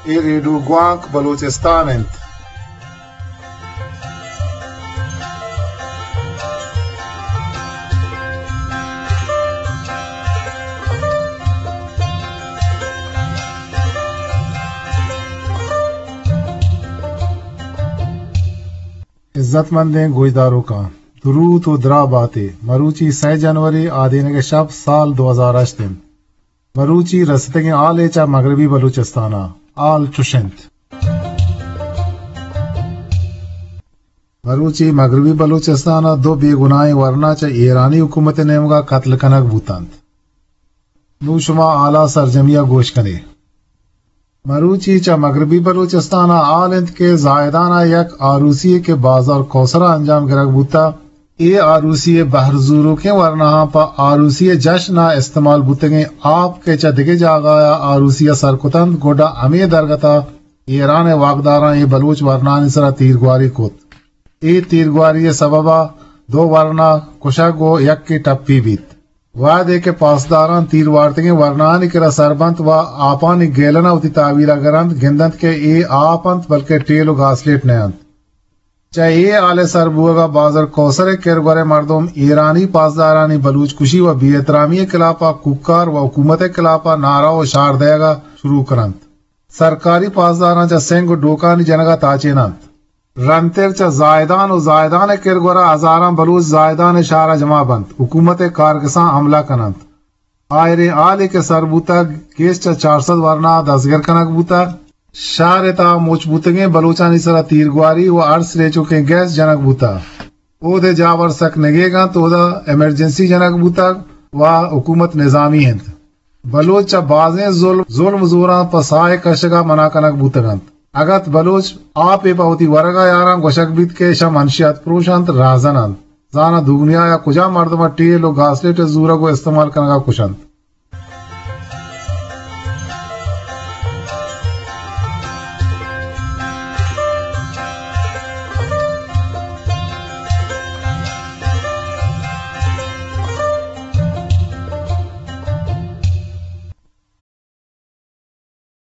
اے ریڈیو گوانک بلوچستان انت۔ عزت مندیں گوشداروکاں، دروت و دراہ باتے۔ مروچی سئے جنوری، آدینگ ءِ شپ، سال دو ہزار ہشت انت۔ مروچی رستگیں حالے چہ مغربی بلوچستان ءَ۔ حال چش انت۔ مروچی مغربی بلوچستان ءَ دو بے گناہیں ورنا چہ ایرانی حکومت ءِ نیمگ ءَ قتل کنگ بوتنت۔ نوں شما حال ءَ سرجمی ءَ گوش کن ئے۔ مروچی چہ مغربی بلوچستان ءَ حال انت کہ زاہدان ءَ یک آروسی یے کہ بازار کوسر ءَ انجام گرگ بوتگ، اے آروسی ءِ بہر زوروکیں ورناہاں پہ آروسی ءِ جشن ءَ استعمال بوتگیں آپ کہ چہ دگہ جاگہ ءَ آروسی ءَ سر کتنت، گڈا ہمے درگت ءَ ایران ءِ واکداراں اے بلوچ ورناہانی سرا تیرگواری کت۔ اے تیرگواری ءِ سبب ءَ دو ورنا کشگ و یکے ٹپی بیت۔ وہدے کہ پاسداراں تیر وارتگیں ورناہانی کرا سر بنت و آپانی گیلن ءَ وتی تحویل ءَ گرنت، گندنت کہ اے آپ انت بلکہ ٹیل و گاسلیٹ نہ انت۔ چہ اے حال ءِ سر بوگ ءَ بازار کوسر ءِ کرگور ءِ مردم ایرانی پاسدارانی بلوچ کشی و بے احترامی ءِ خلاف ءَ کوکار و حکومت ءِ خلاف ءَ نعرہ و شعار دئیگ ءَ شروع کننت۔ سرکاری پاسداراں چہ سنگ و ڈوکانی جنگ ءَ تاچیننت۔ رندتر چہ زاہدان و زاہدان ءِ کرگور ءَ ہزاراں بلوچ زاہدان ءِ شہر ءَ جمع بنت، حکومت ءِ کارگساں حملہ کننت۔ آئریں حالے کہ سر بوتگ، گیش چہ چار سد ورنا دزگیر کنگ بوتگ۔ شہر ءِ تہا مچ بوتگیں بلوچانی سرا تیرگواری و ہر سریچوکیں گیس جنگ بوتگ۔ اود ءِ جاور سک نگیگ انت، اودا ایمرجنسی جنگ بوتگ و حکومت نظامی انت۔ بلوچ چہ بازیں ظلم، ظلم زوراں پہ ساہ ءِ کشگ ءَ منع کنگ بوتگ انت۔ اگت بلوچ آپے پہ وتی ورگ ءَ یاراں، گوشگ بیت کہ اشاں منشیات پروش انت، راہزن انت۔ زاناں دگنیا ءَ کجام مردم ءَ ٹیل و گاسلیٹ ءِ زورگ و استعمال کنگ ءَ کش انت۔